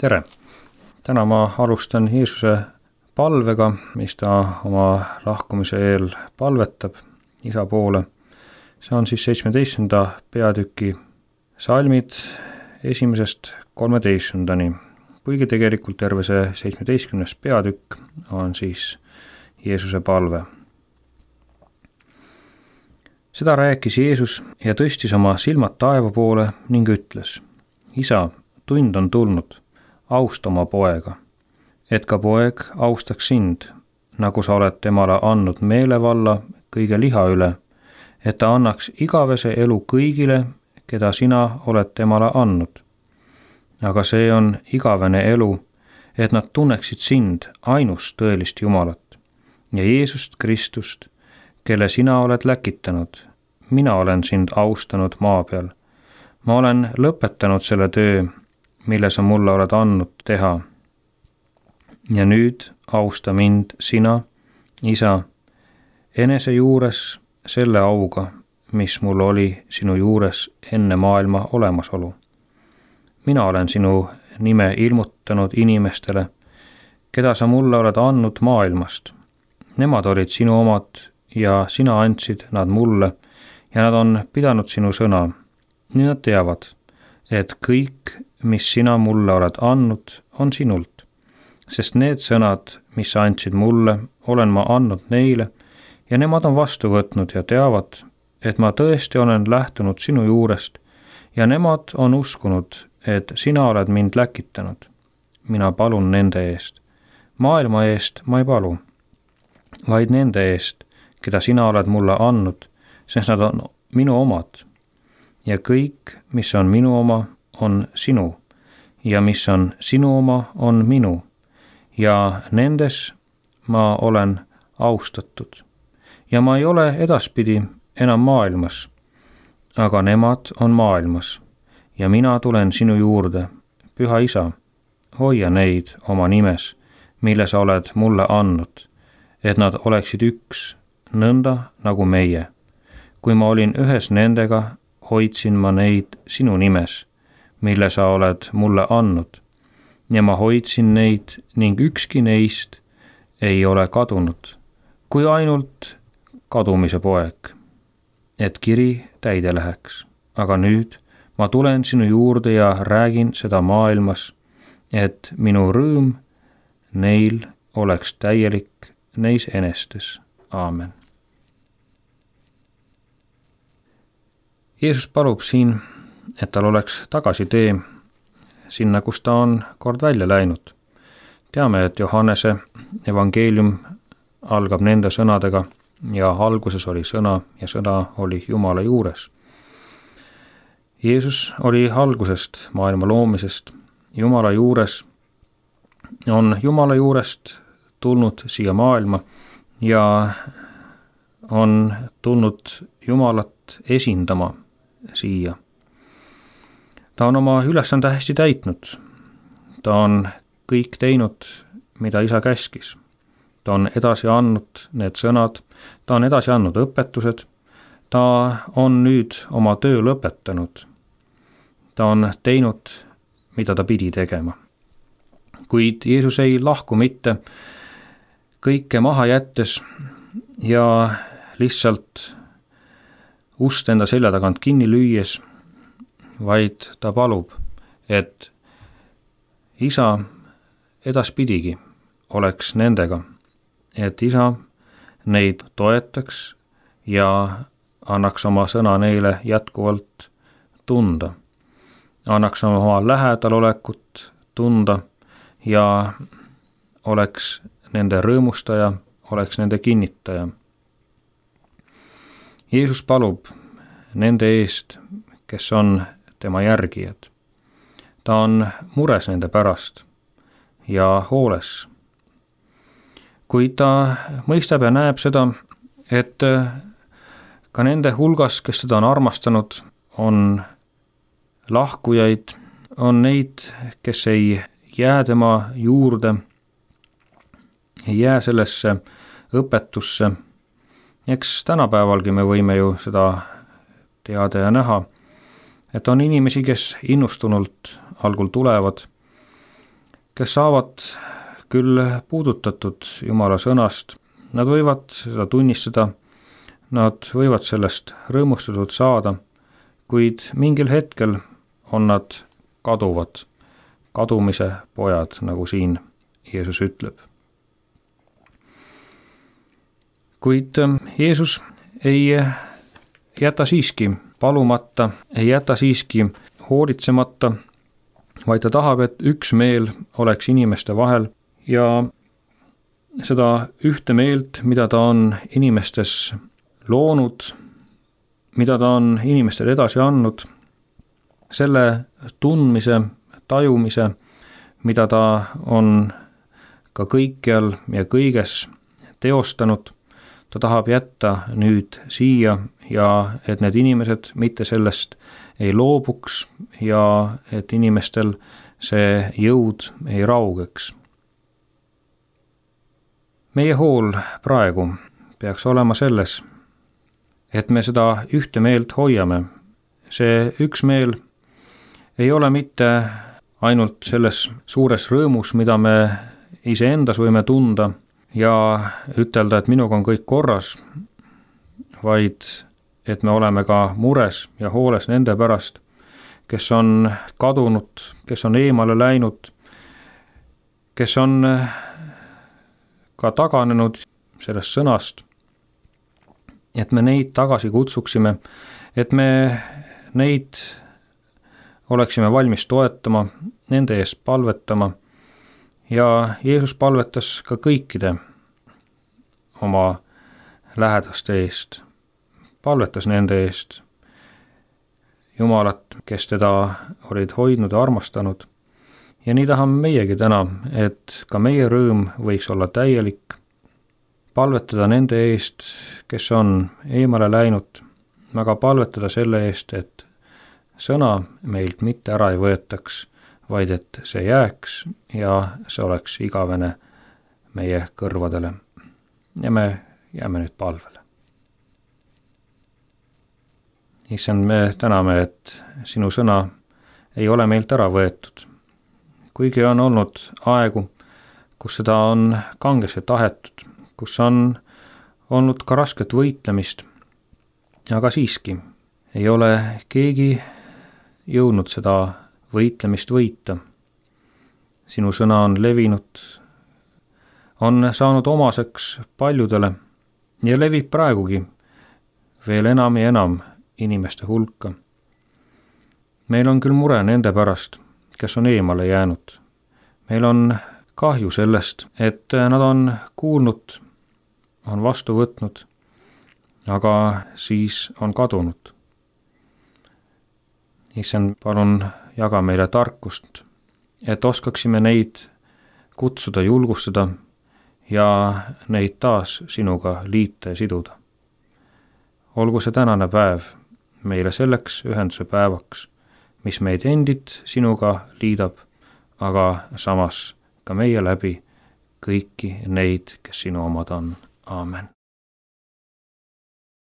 Tere! Täna ma alustan Jeesuse palvega, mis ta oma lahkumise eel palvetab Isa poole. See on siis 17. peatüki salmid 1-13, kuigi tegelikult terve see 17. peatükk on siis Jeesuse palve. Seda rääkis Jeesus ja tõstis oma silmad taeva poole ning ütles: Isa, tund on tulnud, austa oma poega, et ka poeg austaks sind, nagu sa oled temale andnud meelevalla kõige liha üle, et ta annaks igavese elu kõigile, keda sina oled temale andnud. Aga see on igavene elu, et nad tunneksid sind, ainust tõelist Jumalat, ja Jeesust Kristust, kelle sina oled läkitanud. Mina olen sind austanud maa peal. Ma olen lõpetanud selle töö, mille sa mulle oled andnud teha. Ja nüüd austa mind, sina, Isa, enese juures selle auga, mis mul oli sinu juures enne maailma olemasolu. Mina olen sinu nime ilmutanud inimestele, keda sa mulle oled andnud maailmast. Nemad olid sinu omad ja sina andsid nad mulle ja nad on pidanud sinu sõna. Nii nad teavad, et kõik, mis sina mulle oled andnud, on sinult, sest need sõnad, mis sa andsid mulle, olen ma andnud neile ja nemad on vastu võtnud ja teavad, et ma tõesti olen lähtunud sinu juurest ja nemad on uskunud, et sina oled mind läkitanud. Mina palun nende eest. Maailma eest ma ei palu, vaid nende eest, keda sina oled mulle andnud, sest nad on minu omad. Ja kõik, mis on minu oma, on sinu, ja mis on sinu oma, on minu, ja nendes ma olen austatud. Ja ma ei ole edaspidi enam maailmas, aga nemad on maailmas, ja mina tulen sinu juurde, Püha Isa, hoia neid oma nimes, mille sa oled mulle andnud, et nad oleksid üks, nõnda nagu meie. Kui ma olin ühes nendega, hoidsin ma neid sinu nimes, mille sa oled mulle andnud, ja ma hoidsin neid ning ükski neist ei ole kadunud, kui ainult kadumise poeg, et kiri täide läheks. Aga nüüd ma tulen sinu juurde ja räägin seda maailmas, et minu rõõm neil oleks täielik neis enestes. Aamen. Jeesus palub siin, et tal oleks tagasitee sinna, kus ta on kord välja läinud. Teame, et Johannese evangeelium algab nende sõnadega ja alguses oli sõna ja sõna oli Jumala juures. Jeesus oli algusest, maailma loomisest, Jumala juures, on Jumala juurest tulnud siia maailma ja on tulnud Jumalat esindama siia. Ta on oma ülesande hästi täitnud. Ta on kõik teinud, mida Isa käskis. Ta on edasi andnud need sõnad, ta on edasi andnud õpetused, ta on nüüd oma töö lõpetanud. Ta on teinud, mida ta pidi tegema. Kuid Jeesus ei lahku mitte kõike maha jättes ja lihtsalt ust enda selja tagant kinni lüües, vaid ta palub, et Isa edaspidigi oleks nendega, et Isa neid toetaks ja annaks oma sõna neile jätkuvalt tunda. Annaks oma lähedal olekut tunda ja oleks nende rõõmustaja, oleks nende kinnitaja. Jeesus palub nende eest, kes on tema järgijad. Ta on mures nende pärast ja hooles. Kuid ta mõistab ja näeb seda, et ka nende hulgas, kes teda on armastanud, on lahkujaid, on neid, kes ei jää tema juurde, ei jää sellesse õpetusse. Eks tänapäevalgi me võime ju seda teada ja näha, et on inimesi, kes innustunult algul tulevad kes saavad küll puudutatud Jumala sõnast, nad võivad seda tunnistada, nad võivad sellest rõõmustatud saada, kuid mingil hetkel on nad kadumise pojad, nagu siin Jeesus ütleb. Kuid Jeesus ei jäta siiski palumata, ei jäta siiski hoolitsemata, vaid ta tahab, et üksmeel oleks inimeste vahel ja seda ühte meelt, mida ta on inimestes loonud, mida ta on inimestele edasi andnud, selle tundmise, tajumise, mida ta on ka kõikjal ja kõiges teostanud, ta tahab jätta nüüd siia ja et need inimesed mitte sellest ei loobuks ja et inimestel see jõud ei raugeks. Meie hool praegu peaks olema selles, et me seda ühte meelt hoiame. See üksmeel ei ole mitte ainult selles suures rõõmus, mida me iseendas võime tunda ja ütelda, et minuga on kõik korras, vaid et me oleme ka mures ja hooles nende pärast, kes on kadunud, kes on eemale läinud, kes on ka taganenud sellest sõnast, et me neid tagasi kutsuksime, et me neid oleksime valmis toetama, nende eest palvetama ja Jeesus palvetas ka kõikide oma lähedaste eest, palvetas nende eest Jumalat, kes teda olid hoidnud ja armastanud. Ja nii tahame meiegi täna, et ka meie rõõm võiks olla täielik, palvetada nende eest, kes on eemale läinud, aga palvetada selle eest, et sõna meilt mitte ära ei võetaks, vaid et see jääks ja see oleks igavene meie kõrvadele. Ja me jääme nüüd palvele. Issand, me täname, et sinu sõna ei ole meilt ära võetud. Kuigi on olnud aegu, kus seda on kangesti tahetud, kus on olnud ka rasket võitlemist, aga siiski ei ole keegi jõudnud seda võitlemist võita. Sinu sõna on levinud, on saanud omaseks paljudele ja levib praegugi veel enam ja enam inimeste hulka. Meil on küll mure nende pärast, kes on eemale jäänud. Meil on kahju sellest, et nad on kuulnud, on vastu võtnud, aga siis on kadunud. Issand, palun jaga meile tarkust, et oskaksime neid kutsuda, julgustada ja neid taas sinuga liita ja siduda. Olgu see tänane päev meile selleks ühenduse päevaks, mis meid endid sinuga liidab, aga samas ka meie läbi kõiki neid, kes sinu omad on. Aamen.